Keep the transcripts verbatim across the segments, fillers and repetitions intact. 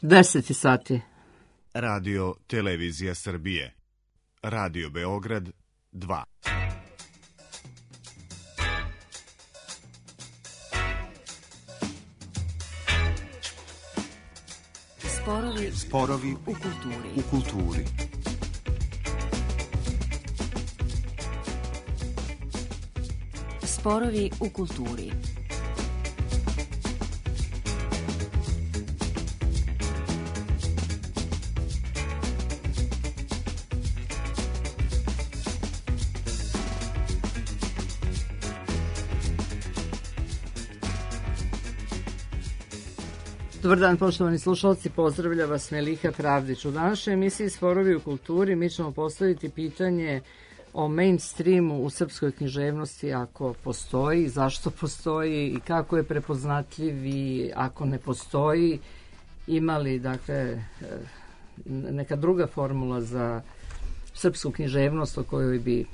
deset sati. Radio Televizija Srbije. Radio Beograd dva. Sporovi, Sporovi u kulturi. U kulturi. Sporovi u kulturi. Dobar dan, poštovani slušalci, pozdravlja vas Meliha Pravdić. U današnjoj emisiji Sporovi u kulturi mi ćemo postaviti pitanje o mainstreamu u srpskoj književnosti, ako postoji, zašto postoji i kako je prepoznatljiv, i ako ne postoji, ima li, dakle, neka druga formula za srpsku književnost o kojoj bi,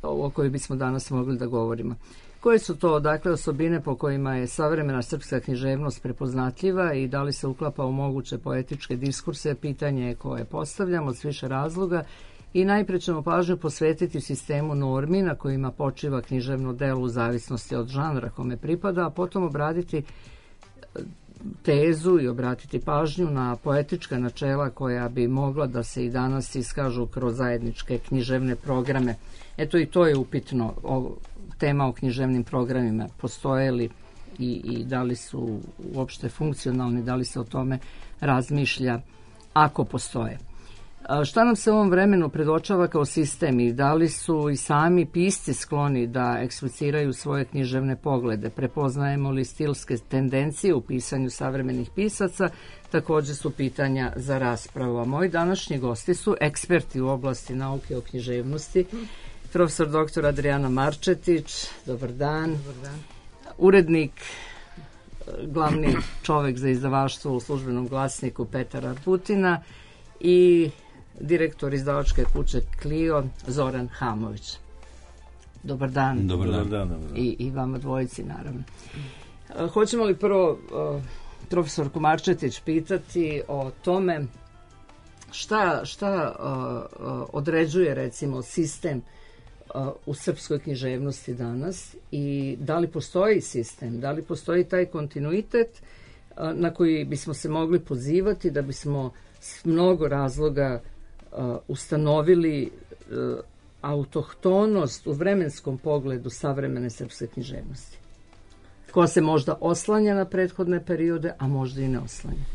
o kojoj bismo danas mogli da govorimo. Koje su to, dakle, osobine po kojima je savremena srpska književnost prepoznatljiva i da li se uklapa u moguće poetičke diskurse, pitanje je koje postavljamo s više razloga, i najpre ćemo pažnju posvetiti sistemu normi na kojima počiva književno delo u zavisnosti od žanra kome pripada, a potom obraditi tezu i obratiti pažnju na poetička načela koja bi mogla da se i danas iskažu kroz zajedničke književne programe. Eto, i to je upitno, o, tema o književnim programima, postoje li i, i da li su uopšte funkcionalni, da li se o tome razmišlja ako postoje. A šta nam se u ovom vremenu predočava kao sistem i da li su i sami pisci skloni da ekspliciraju svoje književne poglede? Prepoznajemo li stilske tendencije u pisanju savremenih pisaca? Također su pitanja za raspravu. A moji današnji gosti su eksperti u oblasti nauke o književnosti. Profesor doktor Adrijana Marčetić, dobar dan. Dobar dan. Urednik, glavni čovek za izdavaštvo u Službenom glasniku Petar Arbutina i direktor izdavačke kuće Clio Zoran Hamović. Dobar dan. Dobar dan. Dobar dan. I, i vama dvojici, naravno. Hoćemo li prvo uh, profesorku Marčetić pitati o tome šta, šta uh, uh, određuje, recimo, sistem u srpskoj književnosti danas i da li postoji sistem, da li postoji taj kontinuitet na koji bismo se mogli pozivati da bismo s mnogo razloga ustanovili autohtonost u vremenskom pogledu savremene srpske književnosti, koja se možda oslanja na prethodne periode, a možda i ne oslanja.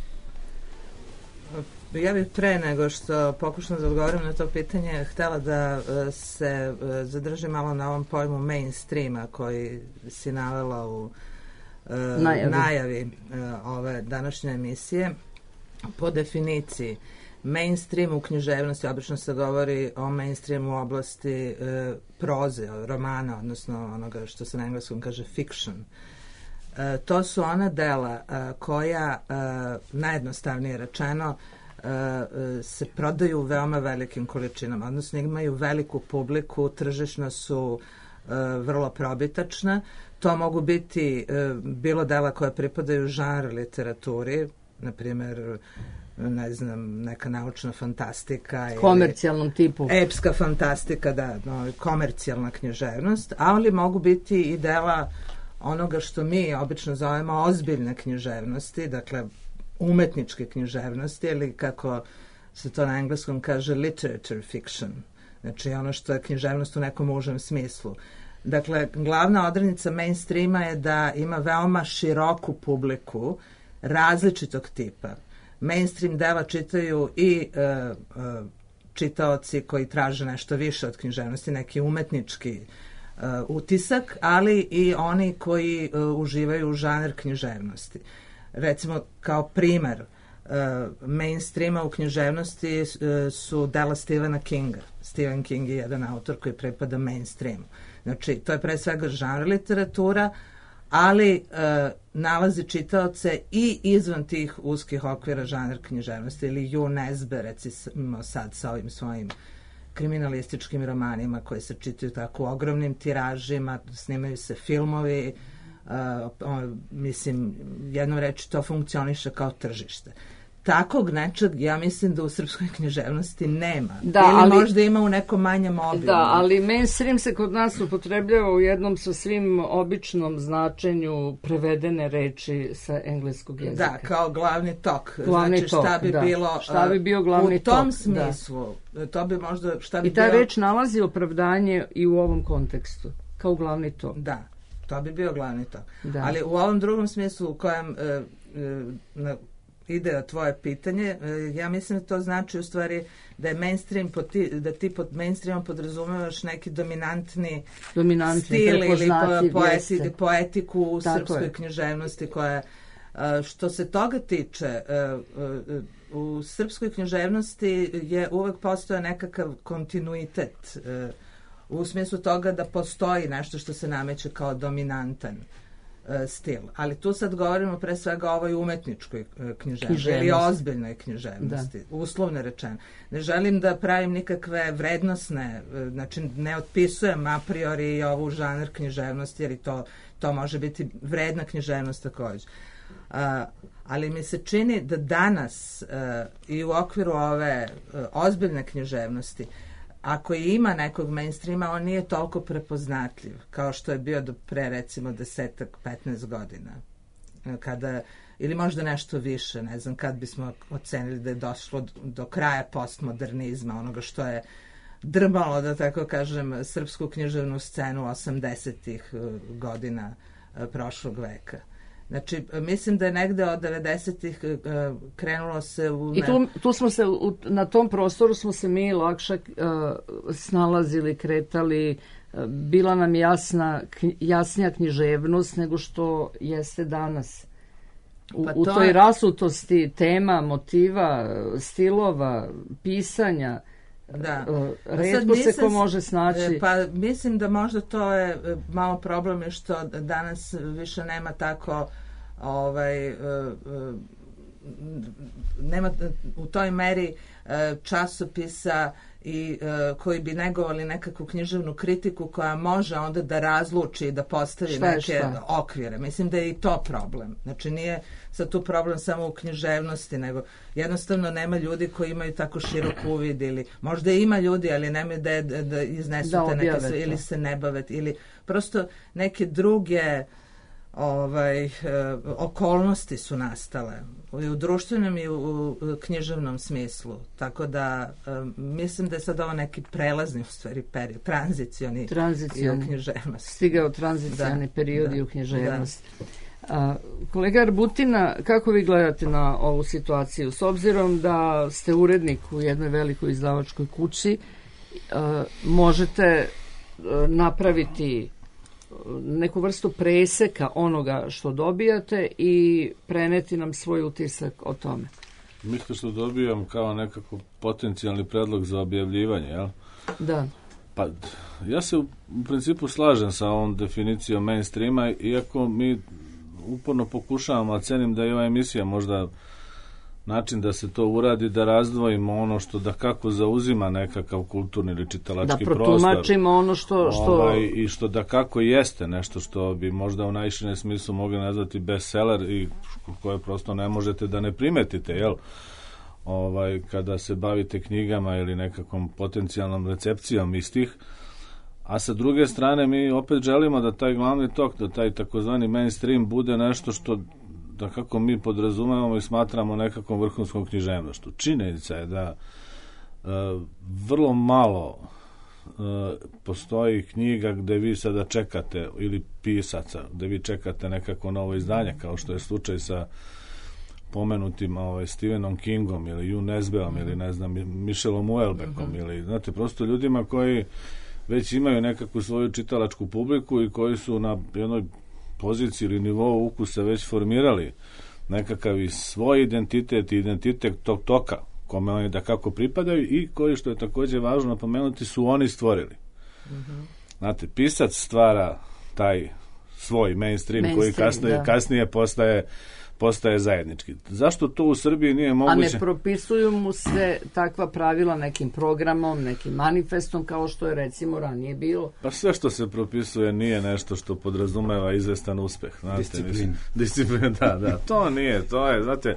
Ja bih pre nego što pokušam da odgovorim na to pitanje htela da se zadržim malo na ovom pojmu mainstreama koji si navela u uh, najavi, najavi uh, ove današnje emisije. Po definiciji, mainstream u književnosti, obično se govori o mainstreamu u oblasti uh, proze, romana, odnosno onoga što se na engleskom kaže fiction. Uh, to su ona dela uh, koja, uh, najjednostavnije rečeno, se prodaju u veoma velikim količinama, odnosno imaju veliku publiku, tržišno su uh, vrlo probitačna. To mogu biti uh, bilo dela koje pripadaju žanru literaturi, na primjer, ne znam, neka naučna fantastika, komercijalnom ili tipu, epska fantastika, da, no, komercijalna književnost, ali mogu biti i dela onoga što mi obično zovemo ozbiljne književnosti, dakle umetničke književnosti, ili kako se to na engleskom kaže literature fiction, znači ono što je književnost u nekom užem smislu. Dakle, glavna odrednica mainstreama je da ima veoma široku publiku različitog tipa. Mainstream dela čitaju i uh, uh, čitaoci koji traže nešto više od književnosti, neki umetnički uh, utisak, ali i oni koji uh, uživaju u žanr književnosti. Recimo, kao primer uh, mainstreama u književnosti uh, su dela Stephena Kinga. Stephen King je jedan autor koji pripada mainstreamu. Znači, to je pre svega žanr literatura, ali uh, nalazi čitaoce i izvan tih uskih okvira žanr književnosti, ili Ju Nesbe, recimo sad sa ovim svojim kriminalističkim romanima koji se čitaju tako u ogromnim tiražima, snimaju se filmovi, uh, on, mislim, jednom reči to funkcioniše kao tržište. takvog nečeg, ja mislim da u srpskoj književnosti nema. Da, ili ali, možda ima u nekom manjem obimu. Da, ali mainstream se kod nas upotrebljava u jednom sasvim običnom značenju prevedene reči sa engleskog jezika. Da, kao glavni tok. Glavni znači, tok, šta bi da. bilo Šta bi bio glavni u tom tok, smislu. Da. To bi možda, šta bi I ta bilo... reč nalazi opravdanje i u ovom kontekstu, kao glavni tok. Da, to bi bio glavni tok. Da. Ali u ovom drugom smislu u kojem e, e, na, ide tvoje pitanje, e, ja mislim da to znači u stvari da je mainstream, pod ti, da ti pod mainstreamom podrazumevaš neki dominantni, dominantni stil ili po, poeti, jeste. poetiku u Tako srpskoj je. književnosti koja, e, što se toga tiče, e, e, u srpskoj književnosti je uvek postojao nekakav kontinuitet, e, u smislu toga da postoji nešto što se nameće kao dominantan e, stil. Ali tu sad govorimo pre svega o ovoj umetničkoj e, književnosti, književnosti ili ozbiljnoj književnosti, da. Uslovno rečeno. Ne želim da pravim nikakve vrednosne, e, znači ne otpisujem a priori ovu žanr književnosti, jer i to, to može biti vredna književnost takođe. Uh, ali mi se čini da danas uh, i u okviru ove uh, ozbiljne književnosti, ako i ima nekog mainstreama, on nije toliko prepoznatljiv kao što je bio do pre recimo desetak, petnaest godina. Kada, ili možda nešto više, ne znam, kad bismo ocenili da je došlo do, do kraja postmodernizma, onoga što je drmalo, da tako kažem, srpsku književnu scenu osamdesetih uh, godina uh, prošlog veka. Znači, mislim da je negde od devedesetih uh, krenulo se u... I tu, tu smo se, u, na tom prostoru smo se mi lakše uh, snalazili, kretali, uh, bila nam jasna, knj, jasnija književnost nego što jeste danas. U, pa u toj je... rasutosti tema, motiva, stilova, pisanja, da. Uh, retko se ko može snaći. Pa mislim da možda to je malo problem je što danas više nema tako ovaj, uh, uh, nema u toj meri uh, časopisa i uh, koji bi negovali nekakvu književnu kritiku koja može onda da razluči i da postavi šta neke šta? okvire. Mislim da je i to problem. Znači nije sad tu problem samo u književnosti, nego jednostavno nema ljudi koji imaju tako širok uvid ili možda ima ljudi, ali nemaju da, da, da iznesu da te neke sve, ili se ne bave ili prosto neke druge ovaj, e, okolnosti su nastale i u društvenom i u, u književnom smislu. Tako da e, mislim da je sad ovo neki prelazni u stvari period, tranzicioni, tranzicioni. I u književnosti. Stigao tranzicioni da, period da, i u književnosti. Da. A, kolega Arbutina, kako vi gledate na ovu situaciju? S obzirom da ste urednik u jednoj velikoj izdavačkoj kući, a, možete a, napraviti neku vrstu preseka onoga što dobijate i preneti nam svoj utisak o tome. Mislim što dobijam kao nekako potencijalni predlog za objavljivanje, jel? Da. Pa, ja se u principu slažem sa ovom definicijom mainstreama, iako mi uporno pokušavamo, a cenim da je ova emisija možda način da se to uradi, da razdvojimo ono što da kako zauzima nekakav kulturni ili čitalački prostor. Da protumačimo ono što... što... Ovaj, i što da kako jeste nešto što bi možda u najširem smislu mogli nazvati bestseller i koje prosto ne možete da ne primetite, jel? Ovaj, kada se bavite knjigama ili nekakvom potencijalnom recepcijom istih. A sa druge strane mi opet želimo da taj glavni tok, da taj takozvani mainstream bude nešto što da kako mi podrazumevamo i smatramo nekakvom vrhunskom književnošću. Činjenica je da e, vrlo malo e, postoji knjiga gde vi sada čekate, ili pisaca, gde vi čekate nekako novo izdanje, kao što je slučaj sa pomenutim ovaj, Stephenom Kingom ili Ju Nesbeom ili ne znam, Michelom Houellebeckom uh-huh. ili, znate, prosto ljudima koji već imaju nekakvu svoju čitalačku publiku i koji su na jednoj poziciji ili nivou ukusa već formirali nekakav i svoj identitet i identitet tog toka kome oni da kako pripadaju i koji, što je također važno napomenuti, su oni stvorili. Mm-hmm. Znate, pisac stvara taj svoj mainstream, mainstream koji kasnije, da. kasnije postaje postaje zajednički. Zašto to u Srbiji nije moguće? A ne propisuju mu se takva pravila nekim programom, nekim manifestom, kao što je recimo ranije bilo? Pa sve što se propisuje nije nešto što podrazumeva izvestan uspeh. Znate, Disciplin. Mislim, disciplin, da, da. To nije, to je, znate,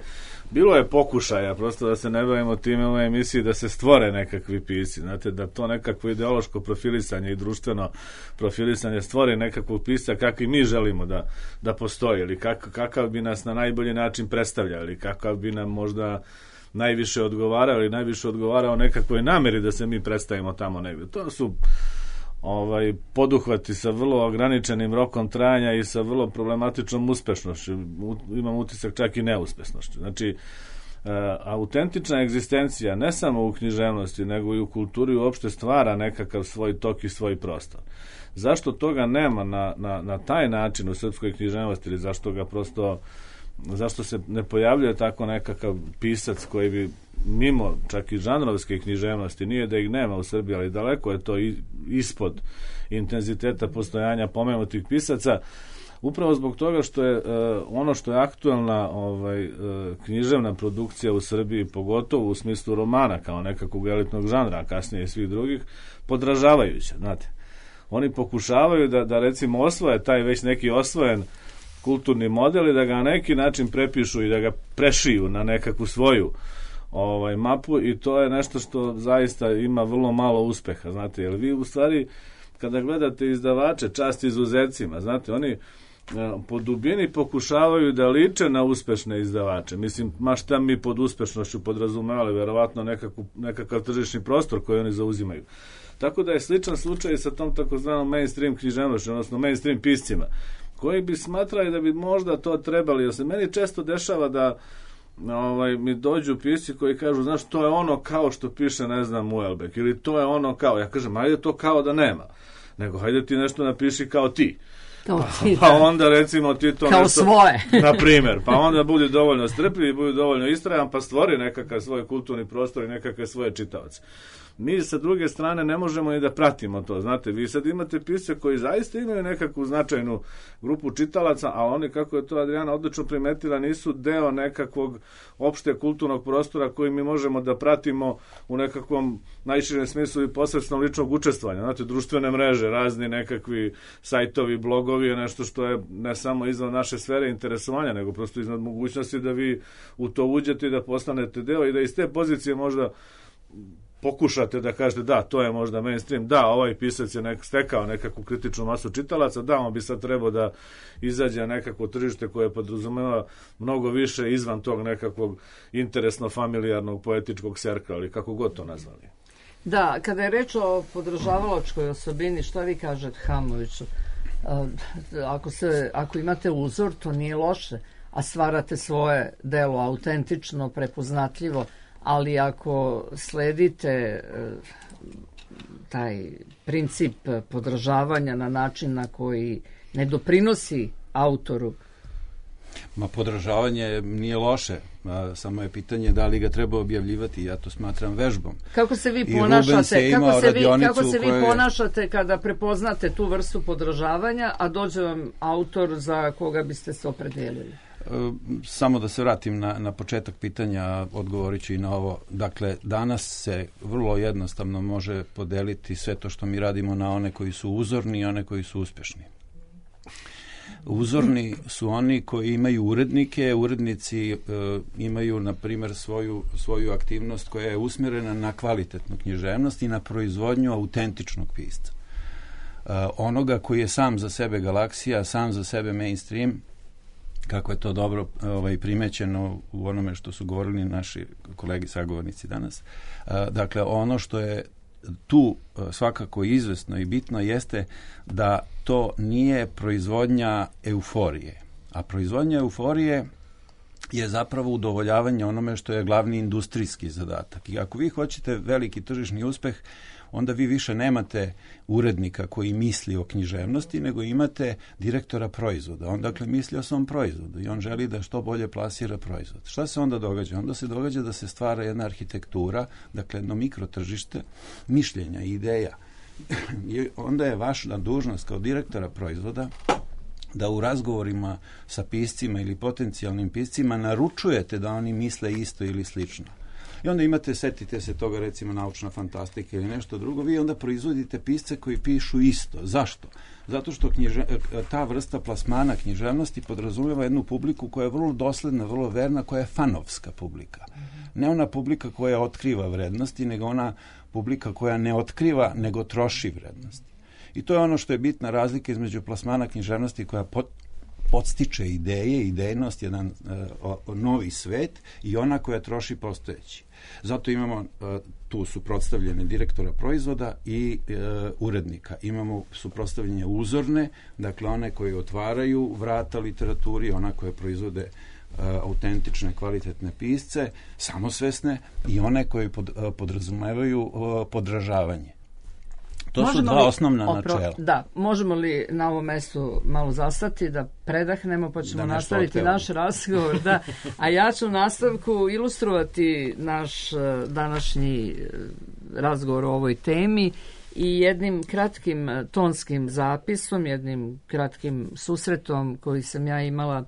bilo je pokušaja, prosto da se ne bavimo time u ovoj emisiji, da se stvore nekakvi pisci, znate, da to nekakvo ideološko profilisanje i društveno profilisanje stvori nekakvog pisca kakvi mi želimo da, da postoji, ili kak, kakav bi nas na najbolji način predstavljao, ili kakav bi nam možda najviše odgovarao, ili najviše odgovarao nekakvoj nameri da se mi predstavimo tamo negde. To su ovaj poduhvati sa vrlo ograničenim rokom trajanja i sa vrlo problematičnom uspešnošću, imam utisak čak i neuspešnošću. Znači, e, autentična egzistencija ne samo u književnosti, nego i u kulturi uopšte stvara nekakav svoj tok i svoj prostor. Zašto toga nema na, na, na taj način u srpskoj književnosti, ili zašto ga prosto, zašto se ne pojavljuje tako nekakav pisac koji bi mimo čak i žanrovske književnosti, nije da ih nema u Srbiji, ali daleko je to ispod intenziteta postojanja pomenutih pisaca, upravo zbog toga što je uh, ono što je aktualna ovaj, uh, književna produkcija u Srbiji, pogotovo u smislu romana kao nekakvog elitnog žanra, a kasnije i svih drugih, podražavajuća, znate. Oni pokušavaju da, da recimo osvoje taj već neki osvojen kulturni model i da ga na neki način prepišu i da ga prešiju na nekakvu svoju ovaj mapu, i to je nešto što zaista ima vrlo malo uspeha, znate, jer vi u stvari kada gledate izdavače, čast izuzecima, znate, oni po dubini pokušavaju da liče na uspešne izdavače. Mislim, ma šta mi pod uspešnošću podrazumevali, verovatno nekakav, nekakav tržišni prostor koji oni zauzimaju. Tako da je sličan slučaj sa tom takozvanom mainstream književnošću, odnosno mainstream piscima, koji bi smatrali da bi možda to trebali, jer se meni često dešava da ovaj, mi dođu pisci koji kažu, znaš, to je ono kao što piše, ne znam, Uelbek, ili to je ono kao, ja kažem, ajde to kao da nema, nego hajde ti nešto napiši kao ti. Kao ti, pa, pa onda recimo ti to kao nešto, svoje. na primjer, pa onda budi dovoljno strpljiv i budi dovoljno istrajan, pa stvori nekakav svoj kulturni prostor i nekakve svoje čitaoce. Mi sa druge strane ne možemo ni da pratimo to, znate, vi sad imate pisce koji zaista imaju nekakvu značajnu grupu čitalaca, a oni, kako je to Adriana odlično primetila, nisu deo nekakvog opšte kulturnog prostora koji mi možemo da pratimo u nekakvom najširem smislu i posredstvom ličnog učestvovanja. Znate, društvene mreže, razni nekakvi sajtovi, blogovi je nešto što je ne samo izvan naše sfere interesovanja, nego prosto iznad mogućnosti da vi u to uđete i da postanete deo i da iz te pozicije možda pokušate da kažete da, to je možda mainstream, da, ovaj pisac je nek, stekao nekakvu kritičnu masu čitalaca, da, on bi sad trebao da izađe na nekakvo tržište koje podrazumeva mnogo više izvan tog nekakvog interesno-familijarnog poetičkog serka, ali kako god to nazvali. Da, kada je reč o podržavalačkoj osobini, šta vi kažete Hamoviću? Ako, se, ako imate uzor, to nije loše, a stvarate svoje delo autentično, prepoznatljivo, ali ako sledite taj princip podržavanja na način na koji ne doprinosi autoru. Ma podržavanje nije loše, samo je pitanje da li ga treba objavljivati, ja to smatram vežbom. Kako se vi ponašate, kako se vi, kako se vi koje... ponašate kada prepoznate tu vrstu podržavanja, a dođe vam autor za koga biste se opredelili? Samo da se vratim na, na početak pitanja, odgovorit ću i na ovo. Dakle, danas se vrlo jednostavno može podeliti sve to što mi radimo na one koji su uzorni i one koji su uspešni. Uzorni su oni koji imaju urednike, urednici e, imaju, na primjer, svoju, svoju aktivnost koja je usmjerena na kvalitetnu književnost i na proizvodnju autentičnog pisca. E, onoga koji je sam za sebe galaksija, sam za sebe mainstream, kako je to dobro ovaj, primećeno u onome što su govorili naši kolegi sagovornici danas. E, dakle, ono što je tu svakako izvesno i bitno jeste da to nije proizvodnja euforije. A proizvodnja euforije je zapravo udovoljavanje onome što je glavni industrijski zadatak. I ako vi hoćete veliki tržišni uspeh, onda vi više nemate urednika koji misli o književnosti, nego imate direktora proizvoda. On dakle misli o svom proizvodu i on želi da što bolje plasira proizvod. Šta se onda događa? Onda se događa da se stvara jedna arhitektura, dakle jedno mikrotržište mišljenja i ideja. I onda je vaša dužnost kao direktora proizvoda, da u razgovorima sa piscima ili potencijalnim piscima naručujete da oni misle isto ili slično. I onda imate, setite se toga, recimo naučna fantastika ili nešto drugo, vi onda proizvodite pisce koji pišu isto. Zašto? Zato što knjiže, ta vrsta plasmana književnosti podrazumijeva jednu publiku koja je vrlo dosledna, vrlo verna, koja je fanovska publika. Ne ona publika koja otkriva vrednosti, nego ona publika koja ne otkriva, nego troši vrednosti. I to je ono što je bitna razlika između plasmana književnosti koja pot, podstiče ideje, idejnost, jedan uh, novi svet, i ona koja troši postojeći. Zato imamo, uh, tu suprotstavljene direktora proizvoda i uh, urednika. Imamo suprotstavljene uzorne, dakle one koje otvaraju vrata literaturi, ona koje proizvode uh, autentične, kvalitetne pisce, samosvesne, i one koje pod, uh, podrazumevaju uh, podražavanje. To možemo su dva li, osnovna opro, načela. Da, možemo li na ovom mestu malo zastati, da predahnemo, pa ćemo da nastaviti naš razgovor. Da. A ja ću u nastavku ilustrovati naš današnji razgovor o ovoj temi i jednim kratkim tonskim zapisom, jednim kratkim susretom koji sam ja imala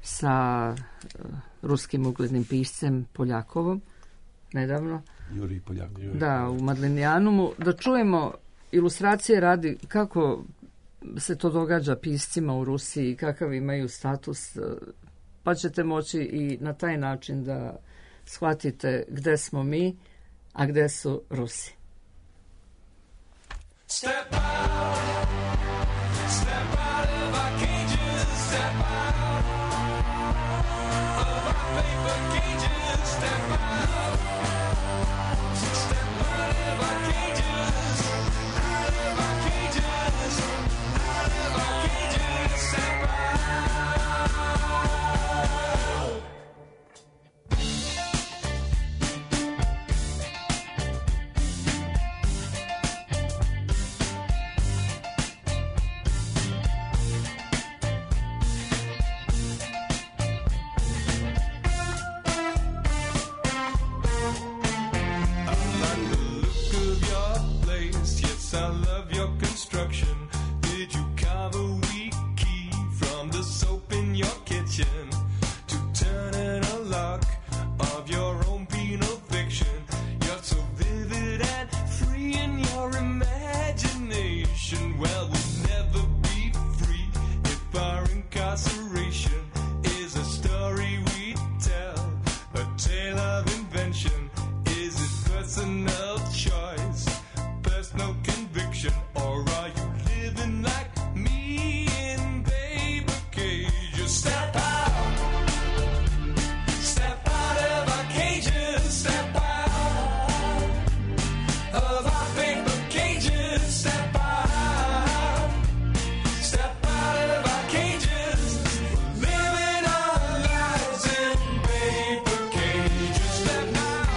sa ruskim uglednim piscem Poljakovom nedavno. Jurij Poljakov. Da, u Madlenijanumu. Da čujemo ilustracije radi kako se to događa piscima u Rusiji, kakav imaju status, pa ćete moći i na taj način da shvatite gde smo mi, a gde su Rusi. Step out, step out of our cages, step out of our paper cages, step out, step out of our cages, out of our cages, out of our cages, step out. I love your construction. Did you carve a weak key from the soap in your kitchen to turn in a lock of your own penal fiction? You're so vivid and free in your imagination. Well, we'll never be free if our incarceration is a story we tell, a tale of invention. Is it personal choice, personal conviction, or are you living like me in paper cages? Step out, step out of our cages, step out of our paper cages, step out, step out of our cages, living our lives in paper cages. Step out.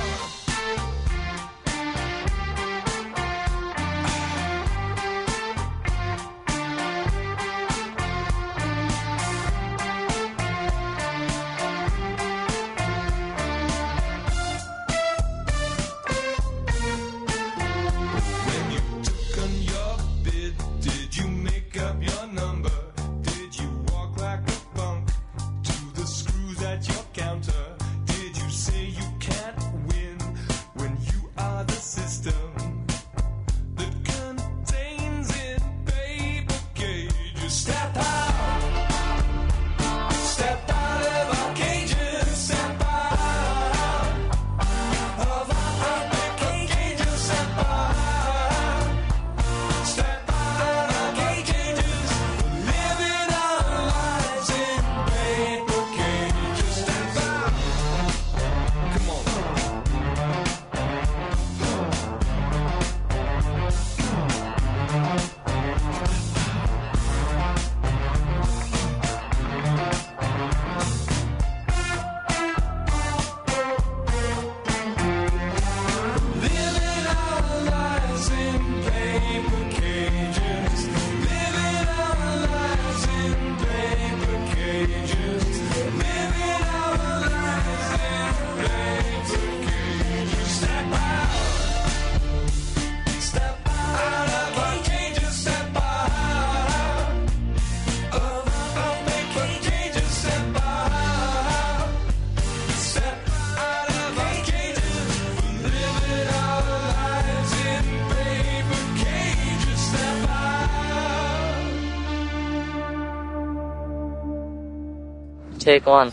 Take one.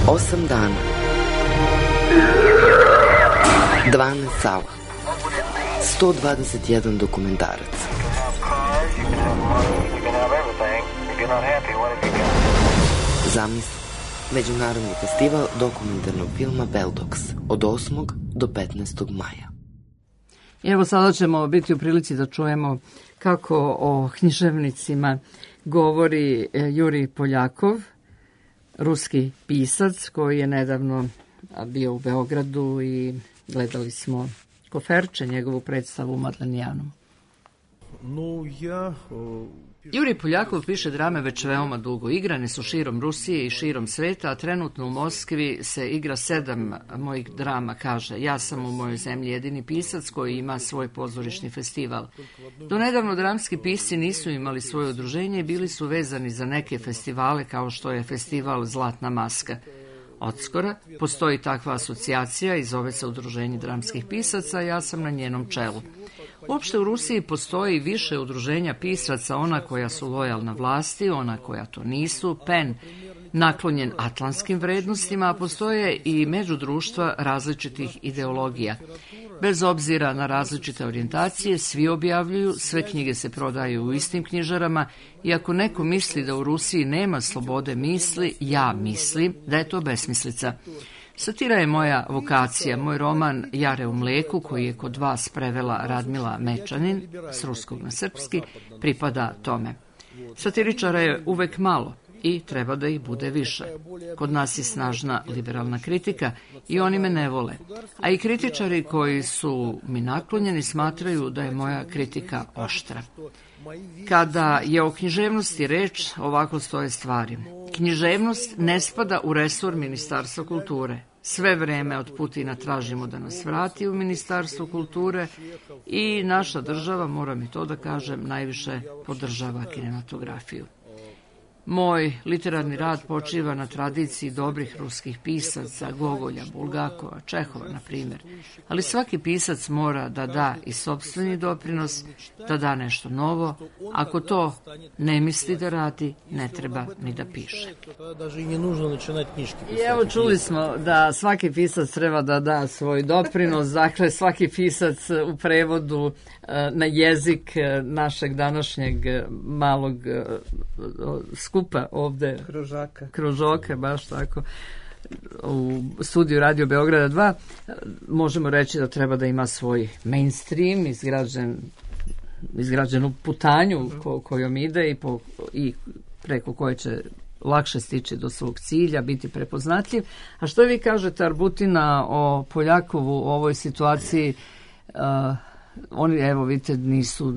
Osam dana. dvanaest sala. sto dvadeset jedan dokumentarac. Zamisli. Međunarodni festival dokumentarnog filma Beldox od osmog do petnaestog maja. Evo sada ćemo biti u prilici da čujemo kako o književnicima govori Jurij Poljakov, ruski pisac koji je nedavno bio u Beogradu i gledali smo Koferče, njegovu predstavu u Madlenijanom. No, ja... Jurij Poljakov piše drame već veoma dugo. Igrane su širom Rusije i širom sveta, a trenutno u Moskvi se igra sedam mojih drama, kaže. Ja sam u mojoj zemlji jedini pisac koji ima svoj pozorišni festival. Do nedavno dramski pisci nisu imali svoje udruženje i bili su vezani za neke festivale kao što je festival Zlatna maska. Odskora postoji takva asocijacija i zove se Udruženje dramskih pisaca, ja sam na njenom čelu. Uopšte u Rusiji postoji više udruženja pisaca, ona koja su lojalna vlasti, ona koja to nisu, P E N naklonjen atlantskim vrednostima, a postoje i međudruštva različitih ideologija. Bez obzira na različite orijentacije, svi objavljuju, sve knjige se prodaju u istim knjižarama i ako neko misli da u Rusiji nema slobode misli, ja mislim da je to besmislica. Satira je moja vokacija. Moj roman Jare u mleku, koji je kod vas prevela Radmila Mečanin, s ruskog na srpski, pripada tome. Satiričara je uvek malo i treba da ih bude više. Kod nas je snažna liberalna kritika i oni me ne vole. A i kritičari koji su mi naklonjeni smatraju da je moja kritika oštra. Kada je o književnosti reč, ovako stoje stvari. Književnost ne spada u resor Ministarstva kulture. Sve vreme od Putina tražimo da nas vrati u Ministarstvo kulture i naša država, moram i to da kažem, najviše podržava kinematografiju. Moj literarni rad počiva na tradiciji dobrih ruskih pisaca, Gogolja, Bulgakova, Čehova, na primjer. Ali svaki pisac mora da da i sopstveni doprinos, da da nešto novo. Ako to ne misli da radi, ne treba ni da piše. I evo čuli smo da svaki pisac treba da da svoj doprinos, dakle svaki pisac u prevodu na jezik našeg današnjeg malog skupa ovde. Kružaka. Kružoka, baš tako. U studiju Radio Beograda dva možemo reći da treba da ima svoj mainstream izgrađen, izgrađenu putanju ko, kojom ide i, po, i preko koje će lakše stići do svog cilja, biti prepoznatljiv. A što vi kažete, Arbutina, o Poljakovu u ovoj situaciji? Uh, Oni, evo vidite, nisu,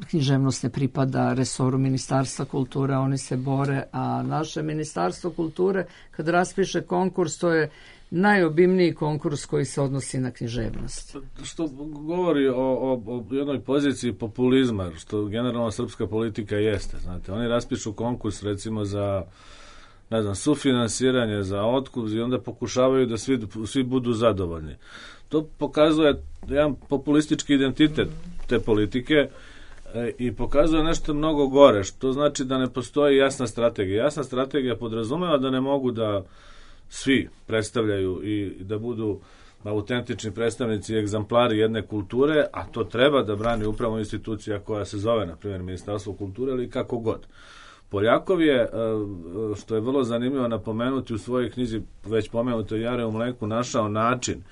književnost ne pripada resoru Ministarstva kulture, oni se bore, a naše Ministarstvo kulture, kad raspiše konkurs, to je najobimniji konkurs koji se odnosi na književnost. Što govori o, o, o jednoj poziciji populizma, što generalno srpska politika jeste. Znate, oni raspišu konkurs, recimo, za ne znam, sufinansiranje, za otkup i onda pokušavaju da svi, svi budu zadovoljni. To pokazuje jedan populistički identitet te politike e, i pokazuje nešto mnogo gore, što znači da ne postoji jasna strategija. Jasna strategija podrazumeva da ne mogu da svi predstavljaju i da budu autentični predstavnici i egzamplari jedne kulture, a to treba da brani upravo institucija koja se zove, na primjer, Ministarstvo kulture ili kako god. Poljakov je, što je vrlo zanimljivo napomenuti u svojoj knjizi, već pomenuto Jare u mleku, našao način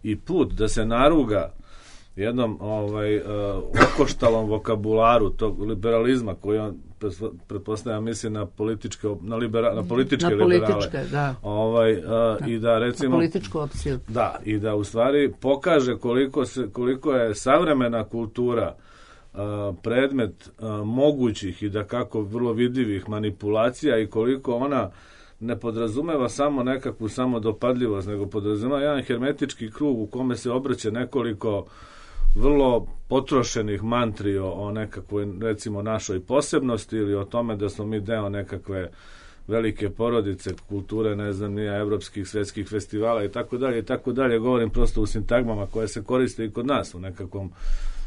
i put da se naruga jednom ovaj, uh, okoštalom vokabularu tog liberalizma koji on pretpostavljam misli na političke na, libera, na političke na liberale. Političke, da. Ovaj, uh, da. I da recimo na političku opciju. Da, i da u stvari pokaže koliko se koliko je savremena kultura uh, predmet uh, mogućih i da kako vrlo vidljivih manipulacija i koliko ona ne podrazumeva samo nekakvu samodopadljivost, nego podrazumeva jedan hermetički krug u kome se obrće nekoliko vrlo potrošenih mantri o, o nekakvoj, recimo, našoj posebnosti ili o tome da smo mi deo nekakve velike porodice kulture, ne znam, nije evropskih, svetskih festivala i tako dalje i tako dalje. Govorim prosto u sintagmama koje se koriste i kod nas u nekakvom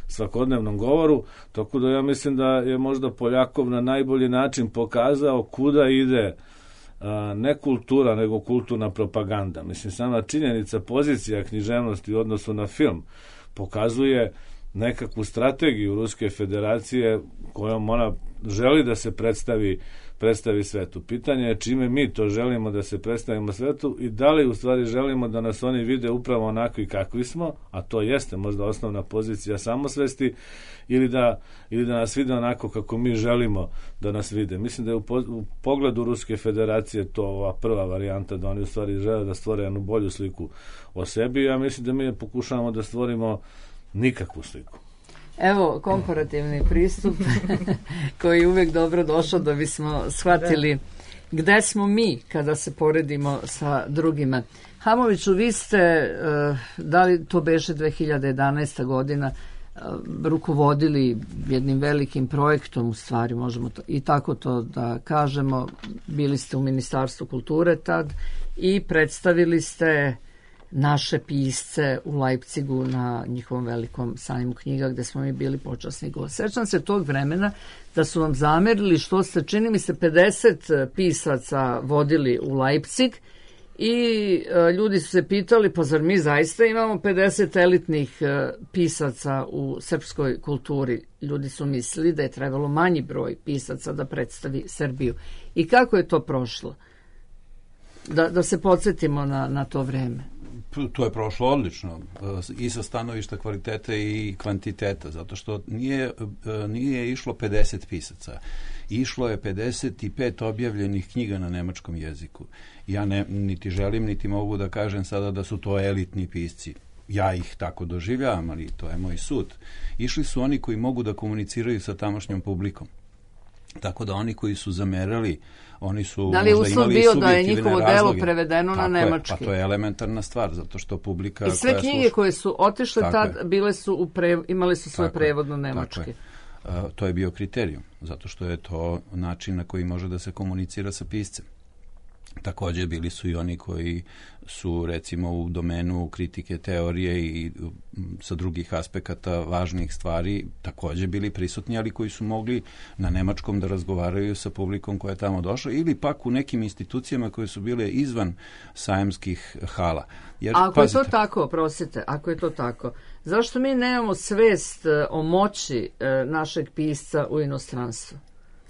svakodnevnom govoru, tako da ja mislim da je možda Poljakov na najbolji način pokazao kuda ide ne kultura, nego kulturna propaganda. Mislim, sama činjenica, pozicija književnosti u odnosu na film pokazuje nekakvu strategiju Ruske federacije kojom ona želi da se predstavi predstavi svetu. Pitanje je čime mi to želimo da se predstavimo svetu i da li u stvari želimo da nas oni vide upravo onakvi kakvi smo, a to jeste možda osnovna pozicija samosvesti, ili da, ili da nas vide onako kako mi želimo da nas vide. Mislim da je u, po, u pogledu Ruske federacije to ova prva varijanta, da oni u stvari žele da stvore jednu bolju sliku o sebi. Ja mislim da mi pokušavamo da stvorimo nikakvu sliku. Evo, komparativni pristup koji je uvek dobro došao da bismo shvatili gde smo mi kada se poredimo sa drugima. Hamoviću, vi ste, da li to beše dve hiljade jedanaesta godina, rukovodili jednim velikim projektom, u stvari možemo to, i tako to da kažemo, bili ste u Ministarstvu kulture tad i predstavili ste naše pisce u Leipzigu na njihovom velikom sajmu knjiga gde smo mi bili počasni gost. Sećam se tog vremena da su vam zamerili što ste, čini mi se, pedeset pisaca vodili u Leipzig i e, ljudi su se pitali, pa zar mi zaista imamo pedeset elitnih e, pisaca u srpskoj kulturi? Ljudi su mislili da je trebalo manji broj pisaca da predstavi Srbiju. I kako je to prošlo? Da, da se podsjetimo na, na to vreme. To je prošlo odlično i sa stanovišta kvaliteta i kvantiteta, zato što nije, nije išlo pedeset pisaca. Išlo je pedeset pet objavljenih knjiga na nemačkom jeziku. Ja ne, niti želim, niti mogu da kažem sada da su to elitni pisci. Ja ih tako doživljavam, ali to je moj sud. Išli su oni koji mogu da komuniciraju sa tamošnjom publikom. Tako da oni koji su zamerali, oni su da li možda uslov imali bio da je njihovo razloge. delo prevedeno tako na nemački? Je, pa to je elementarna stvar, zato što publika... I sve koja knjige sluša, koje su otišle tad, je. bile su u pre, imali su svoj tako prevod na je, nemački. Uh, to je bio kriterijum, zato što je to način na koji može da se komunicira sa piscem. Takođe bili su i oni koji su recimo u domenu kritike teorije i sa drugih aspekata važnih stvari takođe bili prisutni, ali koji su mogli na nemačkom da razgovaraju sa publikom koja je tamo došla ili pak u nekim institucijama koje su bile izvan sajamskih hala. Jer, ako pazite, je to tako, prosite, ako je to tako, zašto mi nemamo svest o moći našeg pisca u inostranstvu?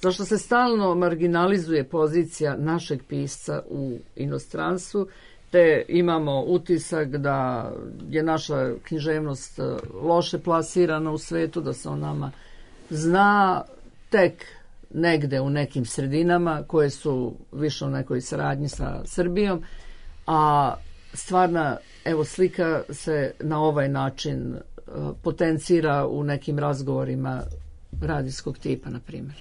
Zašto se stalno marginalizuje pozicija našeg pisca u inostranstvu, te imamo utisak da je naša književnost loše plasirana u svetu, da se o nama zna tek negde u nekim sredinama koje su više u nekoj saradnji sa Srbijom, a stvarna, evo, slika se na ovaj način potencira u nekim razgovorima radijskog tipa, na primjer.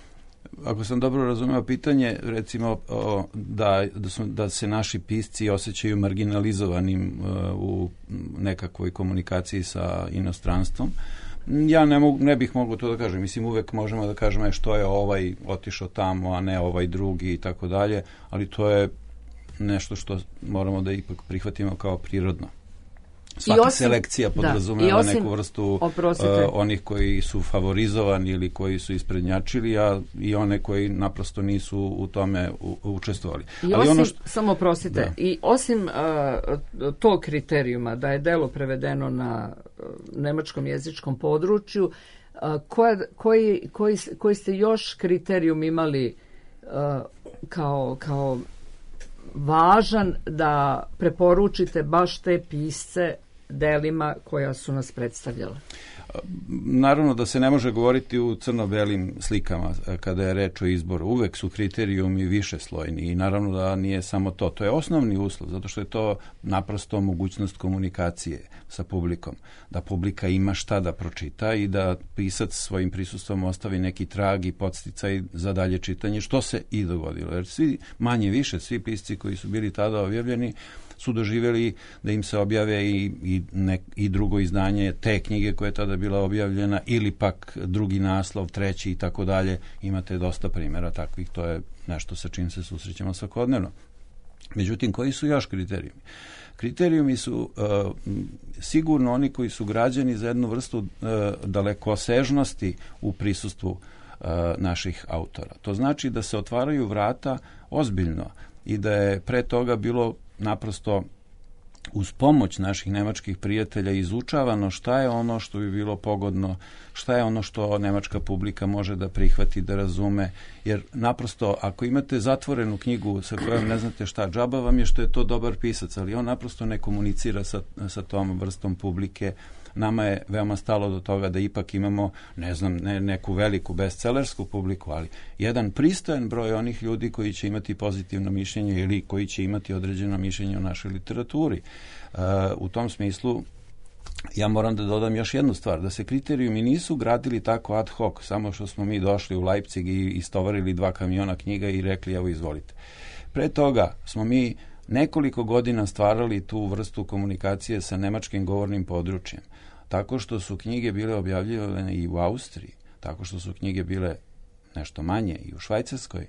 Ako sam dobro razumeo pitanje, recimo o, da, da, su, da se naši pisci osjećaju marginalizovanim uh, u nekakvoj komunikaciji sa inostranstvom, ja ne, mogu, ne bih mogao to da kažem. Mislim, uvek možemo da kažemo što je ovaj otišao tamo, a ne ovaj drugi i tako dalje, ali to je nešto što moramo da ipak prihvatimo kao prirodno. Svaka osim, selekcija podrazumeva da, neku vrstu uh, onih koji su favorizovani ili koji su isprednjačili, a i one koji naprosto nisu u tome u, učestvovali. I ali osim, ono što, samo oprostite, da. I osim uh, tog kriterijuma da je delo prevedeno na uh, nemačkom jezičkom području, uh, koja, koji, koji, koji ste još kriterijum imali uh, kao, kao važan da preporučite baš te pisce delima koja su nas predstavljala? Naravno da se ne može govoriti u crno-belim slikama kada je reč o izboru. Uvek su kriterijumi višeslojni i naravno da nije samo to. To je osnovni uslov, zato što je to naprosto mogućnost komunikacije sa publikom. Da publika ima šta da pročita i da pisac svojim prisustvom ostavi neki trag i podsticaj za dalje čitanje, što se i dogodilo. Jer svi, manje više, svi pisci koji su bili tada objavljeni su doživjeli da im se objave i, i, ne, i drugo izdanje te knjige koja je tada bila objavljena ili pak drugi naslov, treći i tako dalje. Imate dosta primjera takvih, to je nešto sa čim se susrećemo svakodnevno. Međutim, koji su još kriterijumi? Kriterijumi su uh, sigurno oni koji su građeni za jednu vrstu uh, dalekosežnosti u prisustvu uh, naših autora. To znači da se otvaraju vrata ozbiljno i da je pre toga bilo naprosto uz pomoć naših nemačkih prijatelja izučavano šta je ono što bi bilo pogodno, šta je ono što nemačka publika može da prihvati, da razume, jer naprosto ako imate zatvorenu knjigu sa kojom ne znate šta, džaba vam je što je to dobar pisac, ali on naprosto ne komunicira sa, sa tom vrstom publike. Nama je veoma stalo do toga da ipak imamo, ne znam, ne, neku veliku bestsellersku publiku, ali jedan pristojan broj onih ljudi koji će imati pozitivno mišljenje ili koji će imati određeno mišljenje o našoj literaturi. Uh, u tom smislu ja moram da dodam još jednu stvar, da se kriterijumi nisu gradili tako ad hoc, samo što smo mi došli u Leipzig i istovarili dva kamiona knjiga i rekli evo izvolite. Pre toga smo mi nekoliko godina stvarali tu vrstu komunikacije sa nemačkim govornim područjem, tako što su knjige bile objavljivane i u Austriji, tako što su knjige bile nešto manje i u Švajcarskoj,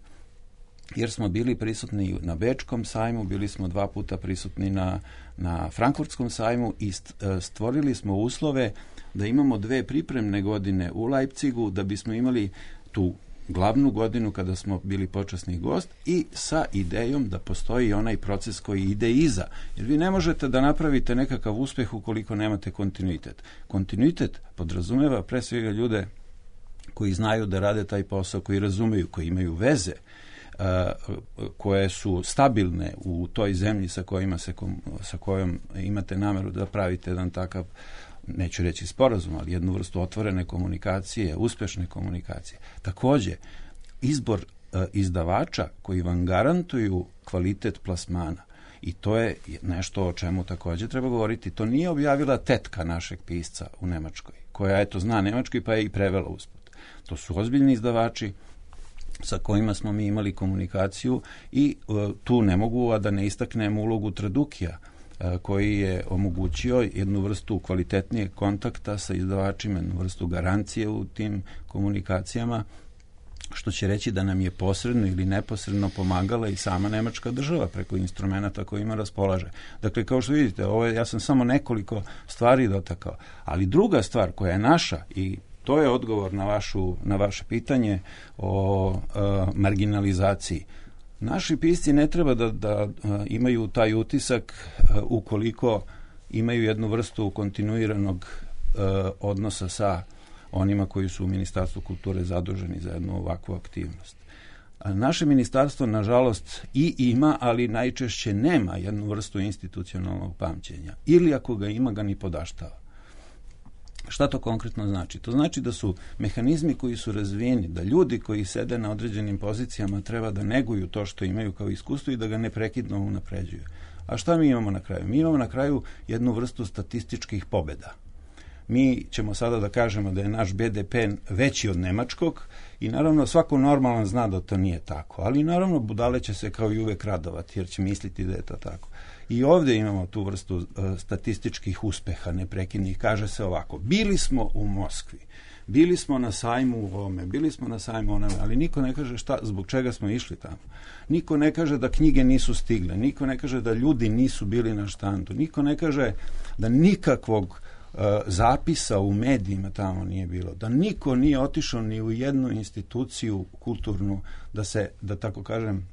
jer smo bili prisutni na Bečkom sajmu, bili smo dva puta prisutni na, na Frankfurtskom sajmu i stvorili smo uslove da imamo dve pripremne godine u Leipzigu, da bismo imali tu glavnu godinu kada smo bili počasni gost i sa idejom da postoji onaj proces koji ide iza. Jer vi ne možete da napravite nekakav uspeh ukoliko nemate kontinuitet. Kontinuitet podrazumeva pre svega ljude koji znaju da rade taj posao, koji razumeju, koji imaju veze, koje su stabilne u toj zemlji sa kojima se, sa kojom imate nameru da pravite jedan takav, neću reći sporazum, ali jednu vrstu otvorene komunikacije, uspešne komunikacije. Takođe, izbor e, izdavača koji vam garantuju kvalitet plasmana. I to je nešto o čemu takođe treba govoriti. To nije objavila tetka našeg pisca u Nemačkoj, koja eto zna nemački pa je i prevela usput. To su ozbiljni izdavači sa kojima smo mi imali komunikaciju i e, tu ne mogu a da ne istaknem ulogu Tradukija, koji je omogućio jednu vrstu kvalitetnijeg kontakta sa izdavačima, jednu vrstu garancije u tim komunikacijama, što će reći da nam je posredno ili neposredno pomagala i sama nemačka država preko instrumenta kojima raspolaže. Dakle, kao što vidite, ovo je, ja sam samo nekoliko stvari dotakao, ali druga stvar koja je naša i to je odgovor na, vašu, na vaše pitanje o uh, marginalizaciji. Naši pisci ne treba da, da imaju taj utisak ukoliko imaju jednu vrstu kontinuiranog uh, odnosa sa onima koji su u Ministarstvu kulture zaduženi za jednu ovakvu aktivnost. A naše ministarstvo, nažalost, i ima, ali najčešće nema jednu vrstu institucionalnog pamćenja. Ili ako ga ima, ga ni podaštava. Šta to konkretno znači? To znači da su mehanizmi koji su razvijeni, da ljudi koji sede na određenim pozicijama treba da neguju to što imaju kao iskustvo i da ga neprekidno unapređuju. A šta mi imamo na kraju? Mi imamo na kraju jednu vrstu statističkih pobeda. Mi ćemo sada da kažemo da je naš be de pe veći od nemačkog i naravno svako normalan zna da to nije tako, ali naravno budale će se kao i uvek radovati jer će misliti da je to tako. I ovdje imamo tu vrstu uh, statističkih uspeha neprekidnih. Kaže se ovako, bili smo u Moskvi, bili smo na sajmu u ovome, bili smo na sajmu onome, ali niko ne kaže šta, zbog čega smo išli tamo. Niko ne kaže da knjige nisu stigle, niko ne kaže da ljudi nisu bili na štandu, niko ne kaže da nikakvog uh, zapisa u medijima tamo nije bilo, da niko nije otišao ni u jednu instituciju kulturnu da se, da tako kažem,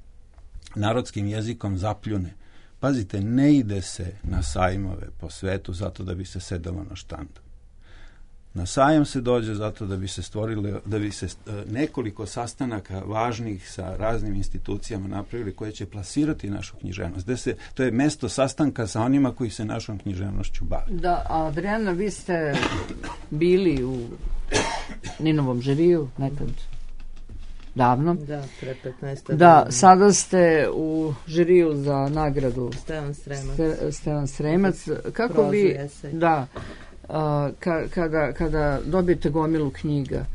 narodskim jezikom zapljune. Pazite, ne ide se na sajmove po svetu zato da bi se sedalo na štandu. Na sajam se dođe zato da bi se stvorili, da bi se nekoliko sastanaka važnih sa raznim institucijama napravili koje će plasirati našu književnost. Da se, to je mesto sastanka sa onima koji se našom književnošću bave. Da, a Adriana, vi ste bili u Ninovom žiriju nekad davno. Da, pre petnaest Da, godina. Sada ste u žiriju za nagradu Stevan Sremac. Ste, Stevan Sremac. Kako Prozu vi, esej. Da, a, ka, kada, kada dobijete gomilu knjiga,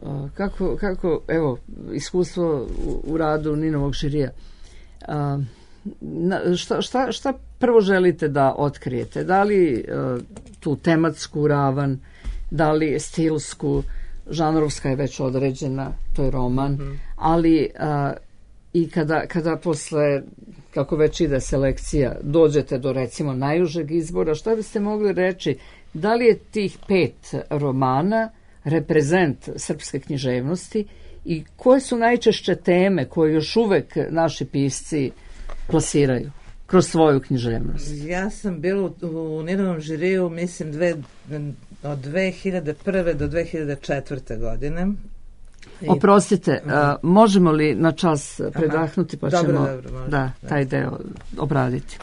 a, kako, kako, evo, iskustvo u, u radu Ninovog žirija, a, na, šta, šta, šta prvo želite da otkrijete? Da li a, tu tematsku ravan, da li stilsku, žanrovska je već određena, to je roman, mm-hmm. ali a, i kada, kada posle, kako već ide selekcija, dođete do recimo najužeg izbora, šta biste mogli reći, da li je tih pet romana reprezent srpske književnosti i koje su najčešće teme koje još uvek naši pisci plasiraju kroz svoju književnost? Ja sam bila u, u Ninovom žiriju, mislim, dve, od dve hiljade prve do dve hiljade četvrte godine. I... Oprostite, uh, možemo li na čas predahnuti, pa dobro, ćemo dobro, može, da, taj deo obraditi.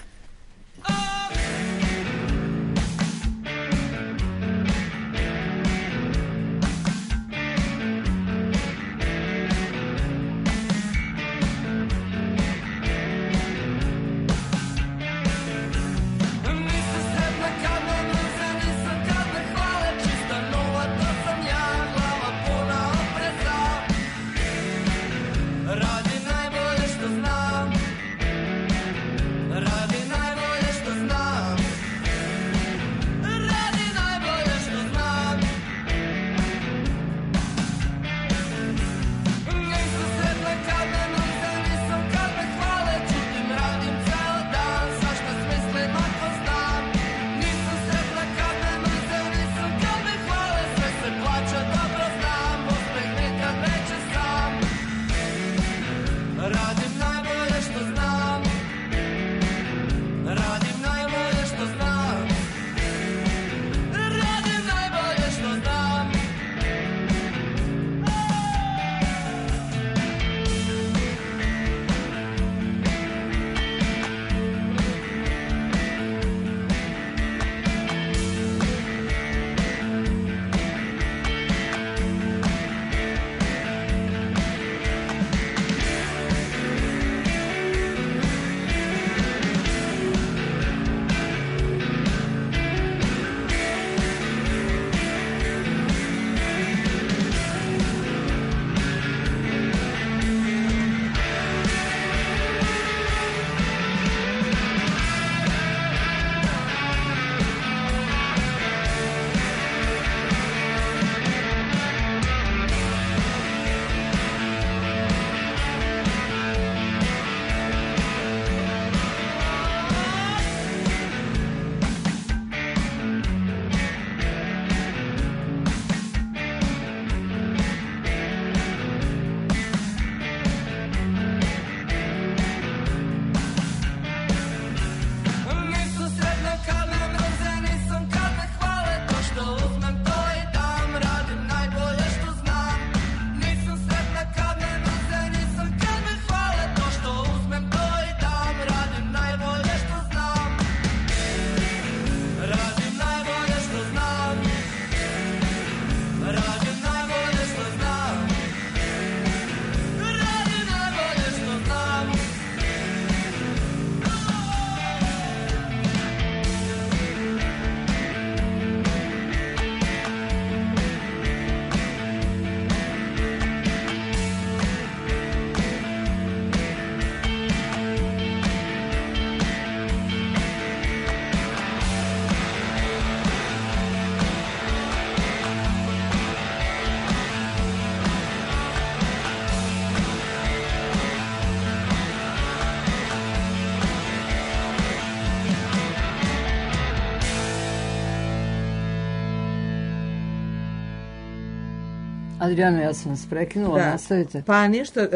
Adriana, ja sam vas prekinula, da. Nastavite. Pa ništa,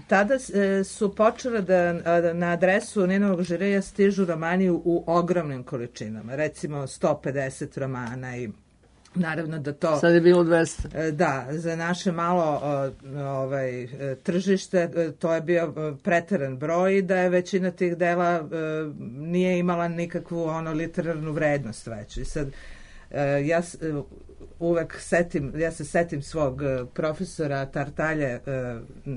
tada su počele da na adresu Ninovog žirija stižu romani u ogromnim količinama, recimo sto pedeset romana i naravno da to... Sad je bilo dvesta. Da, za naše malo ovaj, tržište to je bio preteran broj i da je većina tih dela nije imala nikakvu ono literarnu vrednost već. I sad ja uvek setim, ja se setim svog profesora Tartalje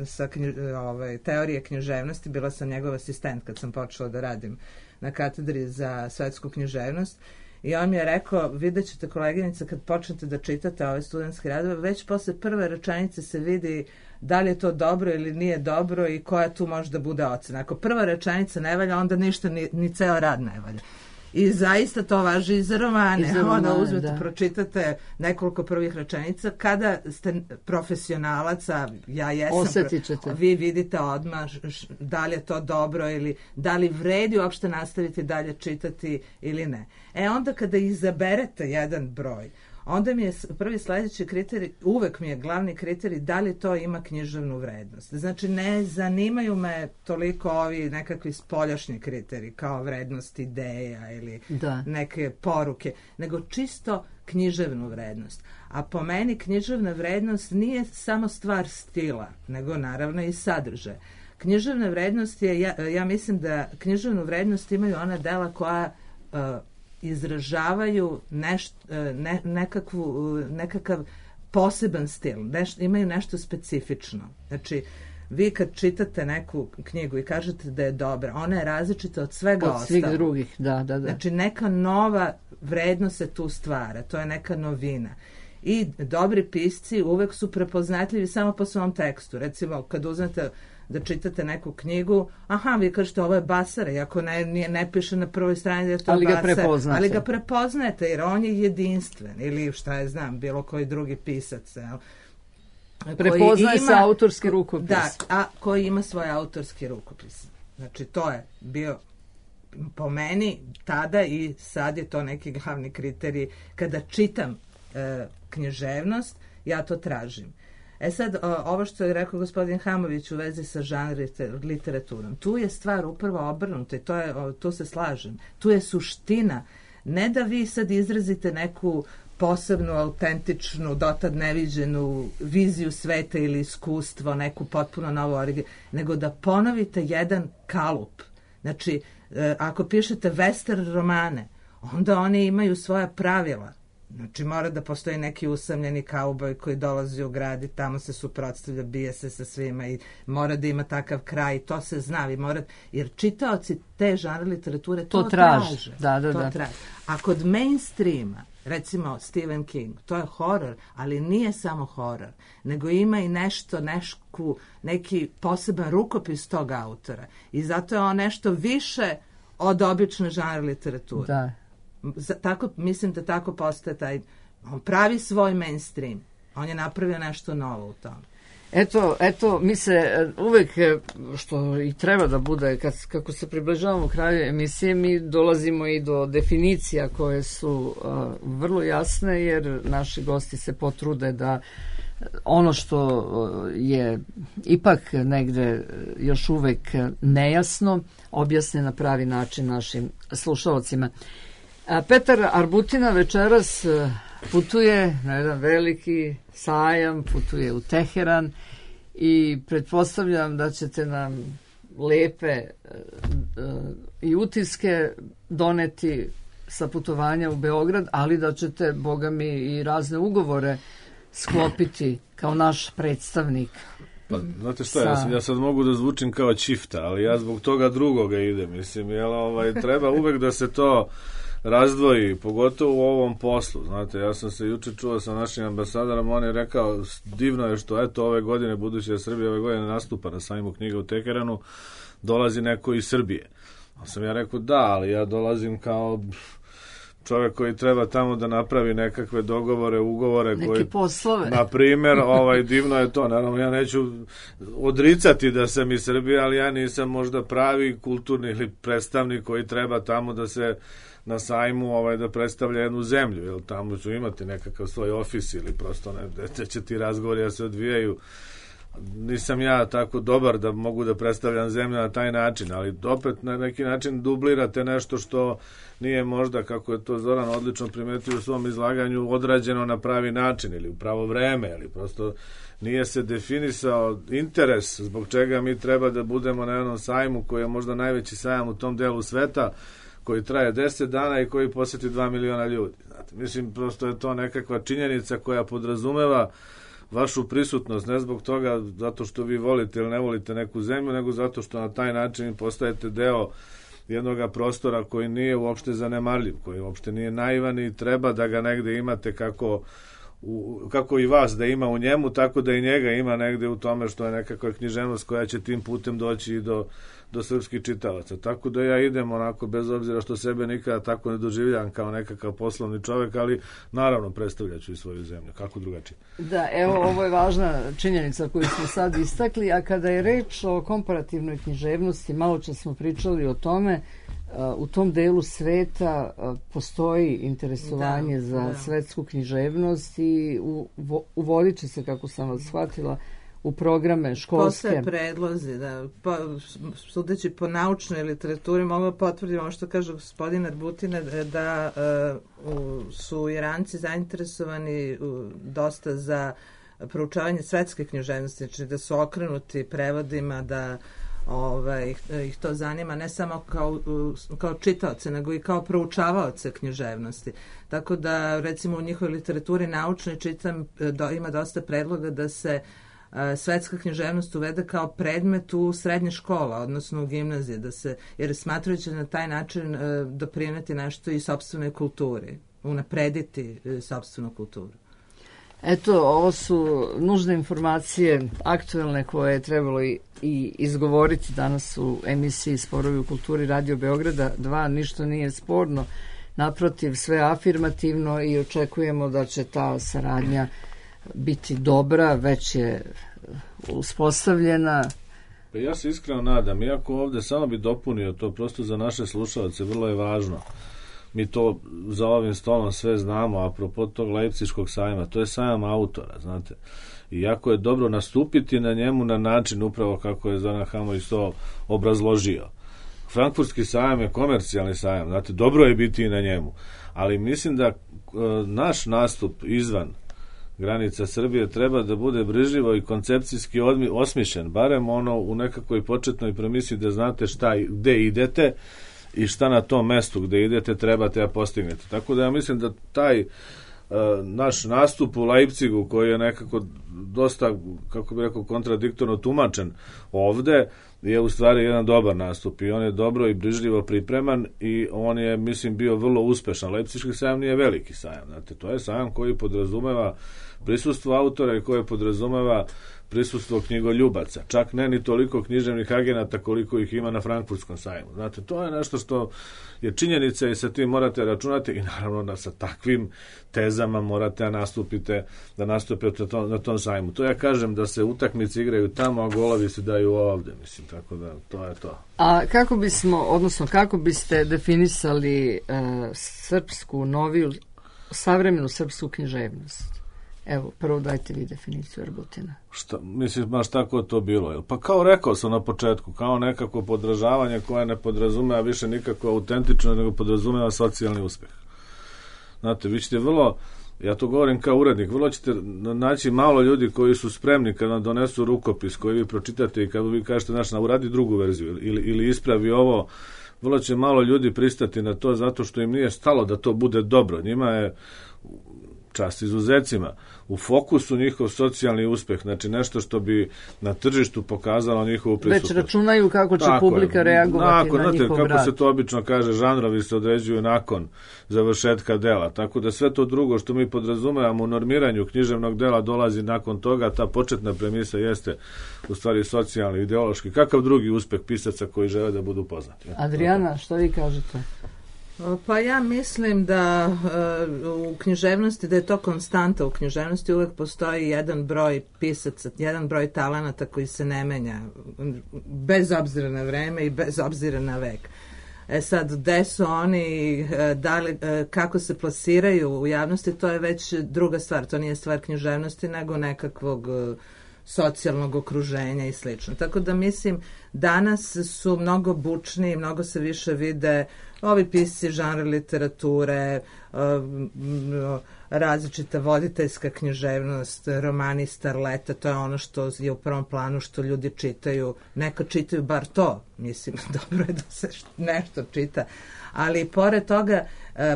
sa knji, ovaj, teorije književnosti, bila sam njegov asistent kad sam počela da radim na katedri za svetsku književnost. I on mi je rekao, vidjet ćete koleginica kad počnete da čitate ove studentske radove, već posle prve rečenice se vidi da li je to dobro ili nije dobro i koja tu može da bude ocena. Ako prva rečenica ne valja, onda ništa, ni, ni ceo rad ne valja. I zaista to važi i za romane. I za romane, onda uzmete, da. Pročitate nekoliko prvih rečenica. Kada ste profesionalac, a ja jesam, osjetit ćete. Vi vidite odmah da li je to dobro ili da li vredi uopšte nastaviti dalje čitati ili ne. E onda kada izaberete jedan broj, onda mi je prvi sledeći kriterij, uvek mi je glavni kriterij da li to ima književnu vrednost. Znači, ne zanimaju me toliko ovi nekakvi spoljašnji kriteriji, kao vrednost ideja ili da. neke poruke, nego čisto književnu vrednost. A po meni književna vrednost nije samo stvar stila, nego naravno i sadržaja. Književna vrednost je, ja, ja mislim da književnu vrednost imaju ona dela koja uh, izražavaju neš, ne, nekakvu, nekakav poseban stil, neš, imaju nešto specifično. Znači, vi kad čitate neku knjigu i kažete da je dobra, ona je različita od svega ostalog. Od svih ostalog. drugih, da, da, da. Znači, neka nova vrednost se tu stvara, to je neka novina. I dobri pisci uvek su prepoznatljivi samo po svom tekstu. Recimo, kad uzmete da čitate neku knjigu, aha, vi kažete ovo je Basara, iako ne, ne, ne piše na prvoj strani da je to ali Basara. Ga prepoznate. Ali ga prepoznate, jer on je jedinstven, ili šta je znam, bilo koji drugi pisac. Jel? Prepoznaje ima, se autorski rukopis. Da, a koji ima svoj autorski rukopis. Znači, to je bio po meni tada i sad je to neki glavni kriterij. Kada čitam e, književnost, ja to tražim. E sad, ovo što je rekao gospodin Hamović u vezi sa žanr literaturom, tu je stvar upravo obrnuta i to je, tu se slažem. Tu je suština. Ne da vi sad izrazite neku posebnu, autentičnu, dotad neviđenu viziju sveta ili iskustvo, neku potpuno novu originu, nego da ponovite jedan kalup. Znači, ako pišete western romane, onda oni imaju svoja pravila. Znači, mora da postoji neki usamljeni kauboj koji dolazi u grad i tamo se suprotstavlja, bije se sa svima i mora da ima takav kraj, to se zna. Vi mora, jer čitaoci te žanre literature to, to traže. traže. Da, da, to da. traže. A kod mainstreama, recimo Stephen King, to je horor, ali nije samo horor, nego ima i nešto, nešku, neki poseban rukopis tog autora. I zato je on nešto više od obične žanre literature. Da. Tako, mislim da tako postaje taj, on pravi svoj mainstream, on je napravio nešto novo u tom. Eto, eto, mi se uvek, što i treba da bude, kad, kako se približavamo kraju emisije, mi dolazimo i do definicija koje su uh, vrlo jasne, jer naši gosti se potrude da ono što je ipak negde još uvek nejasno objasne na pravi način našim slušalcima. Petar Arbutina večeras putuje na jedan veliki sajam, putuje u Teheran i pretpostavljam da ćete nam lepe i utiske doneti sa putovanja u Beograd, ali da ćete, boga mi, i razne ugovore sklopiti kao naš predstavnik. Pa, znate šta, sa... ja, sam, ja sad mogu da zvučim kao čifta, ali ja zbog toga drugoga idem. Mislim, jel, ovaj, treba uvek da se to razdvoji, pogotovo u ovom poslu. Znate, ja sam se juče čuo sa našim ambasadorom, on je rekao, divno je što eto ove godine, budući da Srbija ove godine nastupa na sajmu knjiga u Teheranu, dolazi neko iz Srbije. A sam ja rekao, da, ali ja dolazim kao čovjek koji treba tamo da napravi nekakve dogovore, ugovore. Neke koji, poslove. Na primjer, ovaj, divno je to. Naravno, ja neću odricati da sam iz Srbije, ali ja nisam možda pravi kulturni ili predstavnik koji treba tamo da se na sajmu ovaj, da predstavlja jednu zemlju, jer tamo ću imati nekakav svoj ofis ili prosto ne, gde će ti razgovori da se odvijaju. Nisam ja tako dobar da mogu da predstavljam zemlju na taj način, ali opet na neki način dublirate nešto što nije možda, kako je to Zoran odlično primetio u svom izlaganju, odrađeno na pravi način ili u pravo vreme, ili prosto nije se definisao interes zbog čega mi treba da budemo na jednom sajmu koji je možda najveći sajam u tom delu sveta, koji traje deset dana i koji posjeti dva miliona ljudi. Znate, mislim, prosto je to nekakva činjenica koja podrazumeva vašu prisutnost, ne zbog toga zato što vi volite ili ne volite neku zemlju, nego zato što na taj način postajete deo jednog prostora koji nije uopšte zanemarljiv, koji uopšte nije naivan i treba da ga negde imate kako, u, kako i vas da ima u njemu, tako da i njega ima negde u tome što je nekakva književnost koja će tim putem doći i do do srpskih čitalaca. Tako da ja idem onako, bez obzira što sebe nikada tako ne doživljam kao nekakav poslovni čovjek, ali naravno predstavljaću i svoju zemlju. Kako drugačije? Da, evo, ovo je važna činjenica koju smo sad istakli, a kada je reč o komparativnoj književnosti, malo čas smo pričali o tome, u tom delu sveta postoji interesovanje da, za da. svetsku književnost i uvodit će se, kako sam vas shvatila, u programe školske. Postoje predlozi, da. Po, sudeći po naučnoj literaturi mogu potvrditi ono što kaže gospodin Arbutina, da uh, su Iranci zainteresovani uh, dosta za proučavanje svetske književnosti, znači da su okrenuti prevodima, da ovaj, ih to zanima ne samo kao, kao čitaoce, nego i kao proučavaoce književnosti. Tako da, recimo, u njihovoj literaturi naučnoj čitam, do, ima dosta predloga da se a, svetska književnost uvede kao predmet u srednje škola, odnosno u gimnazije, da se, jer smatrajući na taj način a, doprineti nešto i sopstvenoj kulturi, unaprediti a, sopstvenu kulturu. Eto, ovo su nužne informacije aktuelne koje je trebalo i, i izgovoriti danas u emisiji Sporovi u kulturi Radio Beograda dva. Ništa nije sporno, naprotiv, sve afirmativno i očekujemo da će ta saradnja biti dobra, već je uspostavljena. Pa ja se iskreno nadam, iako ovde samo bi dopunio to, prosto za naše slušalce vrlo je važno. Mi to za ovim stolom sve znamo, apropo tog Leipziškog sajma, to je sajam autora, znate. I jako je dobro nastupiti na njemu na način upravo kako je Zoran Hamović to obrazložio. Frankfurtski sajam je komercijalni sajam, znate, dobro je biti i na njemu. Ali mislim da e, naš nastup izvan granica Srbije treba da bude brižljivo i koncepcijski odmi, osmišljen, barem ono u nekakvoj početnoj premisi da znate šta, gde idete i šta na tom mestu gde idete trebate da postignete. Tako da ja mislim da taj uh, naš nastup u Leipzigu, koji je nekako dosta, kako bih rekao, kontradiktorno tumačen ovde, je u stvari jedan dobar nastup i on je dobro i brižljivo pripreman i on je, mislim, bio vrlo uspešan. Leipziški sajam nije veliki sajam, znate, to je sajam koji podrazumeva prisustvo autora i koji podrazumeva prisustvo knjigoljubaca, čak ne ni toliko književnih agenata koliko ih ima na Frankfurtskom sajmu. Znate, to je nešto što je činjenica i sa tim morate računati i naravno da sa takvim tezama morate da nastupite, da nastupite to, na tom sajmu. To ja kažem da se utakmice igraju tamo, a golovi se daju ovde, mislim, tako da to je to. A kako bismo, odnosno kako biste definisali uh, srpsku, noviju, savremenu srpsku književnost? Evo, prvo dajte vi definiciju Arbutina. Šta, mislim, baš tako je to bilo. Pa kao rekao sam na početku, kao nekako podražavanje koje ne podrazumeva više nikako autentično, nego podrazumeva socijalni uspeh. Znate, vi ćete vrlo, ja to govorim kao urednik, vrlo ćete naći malo ljudi koji su spremni kad vam donesu rukopis koji vi pročitate i kad vi kažete, znaš, uradi drugu verziju ili, ili ispravi ovo, vrlo će malo ljudi pristati na to zato što im nije stalo da to bude dobro. Njima je, čast izuzecima, u fokusu njihov socijalni uspeh, znači nešto što bi na tržištu pokazalo njihovu prisutnost. Već računaju kako će tako publika je reagovati nakon, na znate, njihov kako rad. se to obično kaže, žanrovi se određuju nakon završetka dela, tako da sve to drugo što mi podrazumevamo u normiranju književnog dela dolazi nakon toga, ta početna premisa jeste u stvari socijalni, ideološki. Kakav drugi uspeh pisaca koji žele da budu poznati? Adriana, što vi kažete? Pa ja mislim da uh, u književnosti, da je to konstanta u književnosti, uvek postoji jedan broj pisaca, jedan broj talenata koji se ne menja, bez obzira na vreme i bez obzira na vek. E sad, gde su oni, da li, kako se plasiraju u javnosti, to je već druga stvar, to nije stvar književnosti, nego nekakvog socijalnog okruženja i slično. Tako da mislim, danas su mnogo bučniji, mnogo se više vide ovi pisci žanra literature, različita voditeljska književnost, romani starleta, to je ono što je u prvom planu, što ljudi čitaju. Neka čitaju bar to, mislim, dobro je da se nešto čita. Ali pored toga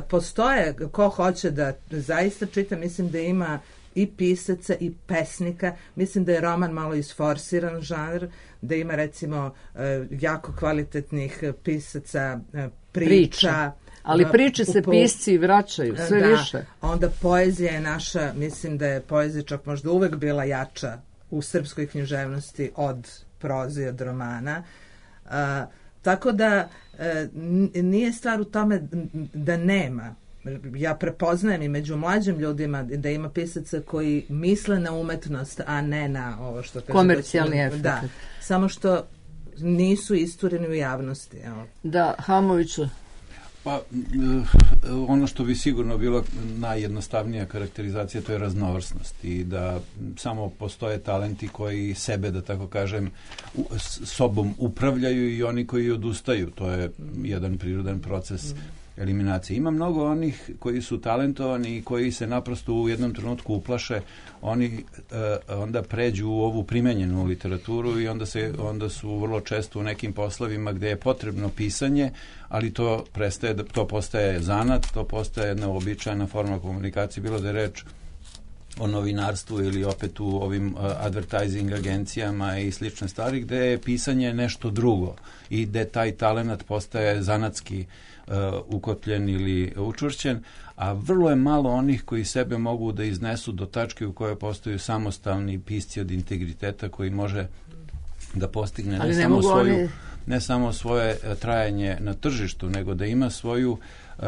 postoje, ko hoće da zaista čita, mislim da ima i pisaca i pesnika. Mislim da je roman malo isforsiran žanr, da ima recimo jako kvalitetnih pisaca priča. priča. Ali priče se po... pisci vraćaju sve da, više. Onda poezija je naša, mislim da je poezija čak možda uvek bila jača u srpskoj književnosti od proze i od romana. Uh, tako da uh, nije stvar u tome da nema. Ja prepoznajem i među mlađim ljudima da ima pisaca koji misle na umetnost, a ne na ovo što kaže... Komercijalni efekt. Da, samo što nisu istureni u javnosti. Evo. Da, Hamoviću. Pa, ono što bi sigurno bilo najjednostavnija karakterizacija, to je raznovrsnost i da samo postoje talenti koji sebe, da tako kažem, sobom upravljaju i oni koji odustaju. To je jedan prirodan proces eliminacije. Ima mnogo onih koji su talentovani i koji se naprosto u jednom trenutku uplaše, oni e, onda pređu u ovu primenjenu literaturu i onda, se, onda su vrlo često u nekim poslovima gde je potrebno pisanje, ali to, prestaje, to postaje zanat, to postaje jedna uobičajena forma komunikacije, bilo da je reč o novinarstvu ili opet u ovim uh, advertising agencijama i slične stvari, gde je pisanje nešto drugo i gde taj talenat postaje zanatski uh, ukotljen ili učvršćen, a vrlo je malo onih koji sebe mogu da iznesu do tačke u kojoj postaju samostalni pisci od integriteta koji može da postigne ne, ne samo svoju oni... ne samo svoje trajanje na tržištu, nego da ima svoju uh, uh,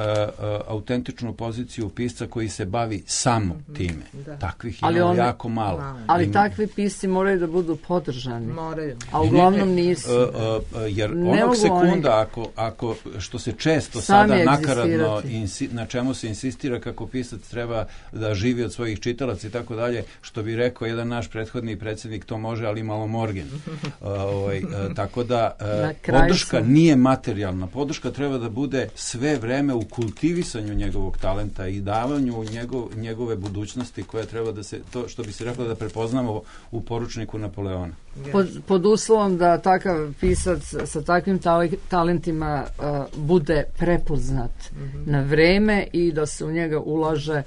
autentičnu poziciju pisca koji se bavi samo time. Da. Takvih ima on... jako malo. malo. Ali ima... takvi pisci moraju da budu podržani. Moraju. A uglavnom nisu. Uh, uh, jer ne onog sekunda, oni... ako, ako, što se često Sami sada nakaradno, insi, na čemu se insistira kako pisac treba da živi od svojih čitalaca i tako dalje, što bi rekao jedan naš prethodni predsjednik, to može, ali malo morgen. Uh, ovaj, uh, tako da uh, podrška su... nije materijalna. Podrška treba da bude sve vreme u kultivisanju njegovog talenta i davanju njegov, njegove budućnosti koja treba da se, to što bi se reklo da prepoznamo u poručniku Napoleona. Pod, pod uslovom da takav pisac sa takvim talentima uh, bude prepoznat mm-hmm. na vreme i da se u njega ulaže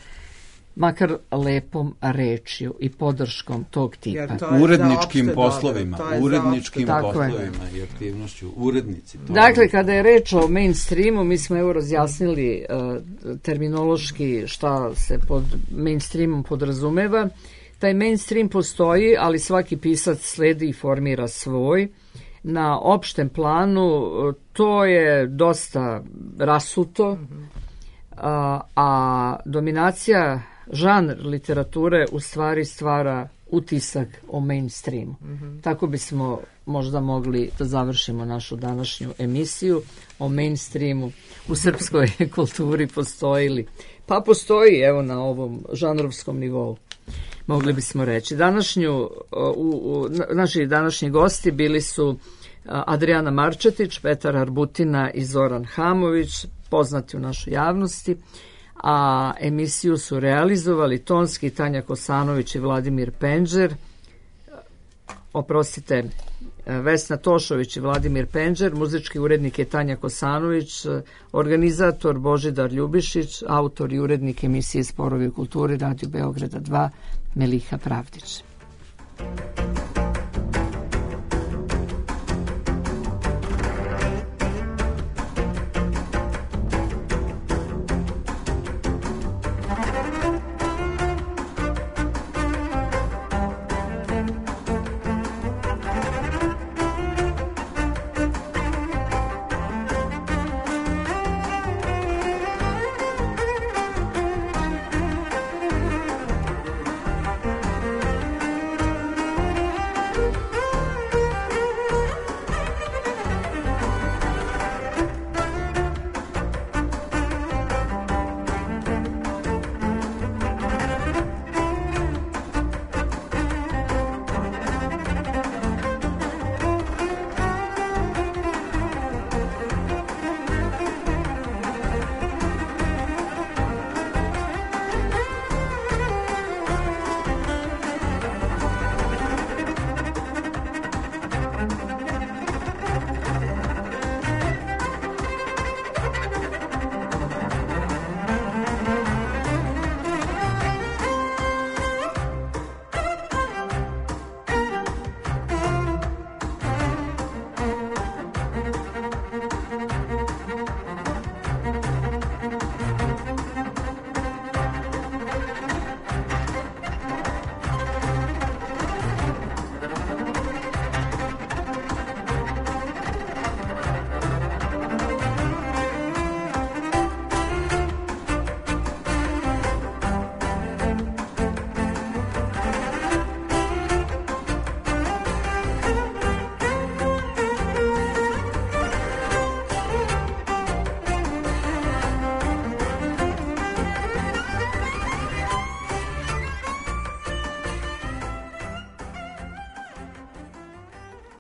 makar lepom rečju i podrškom tog tipa. Uredničkim poslovima, uredničkim poslovima i aktivnošću, urednici. To dakle, kada je reč o mainstreamu, mi smo evo razjasnili uh, terminološki šta se pod mainstreamom podrazumeva. Taj mainstream postoji, ali svaki pisac sledi i formira svoj. Na opštem planu to je dosta rasuto, mm-hmm. a, a dominacija žanr literature u stvari stvara utisak o mainstreamu. Mm-hmm. Tako bismo možda mogli da završimo našu današnju emisiju o mainstreamu u srpskoj kulturi postoji li. Pa postoji, evo, na ovom žanrovskom nivou. Mogli bismo reći. Današnju, u, u, naši današnji gosti bili su Adrijana Marčetić, Petar Arbutina i Zoran Hamović, poznati u našoj javnosti, a emisiju su realizovali tonski Tanja Kosanović i Vladimir Penđer, oprostite, Vesna Tošović i Vladimir Penđer, muzički urednik je Tanja Kosanović, organizator Božidar Ljubišić, autor i urednik emisije Sporovi u kulturi Radio Beograda dva, Meliha Pravdić.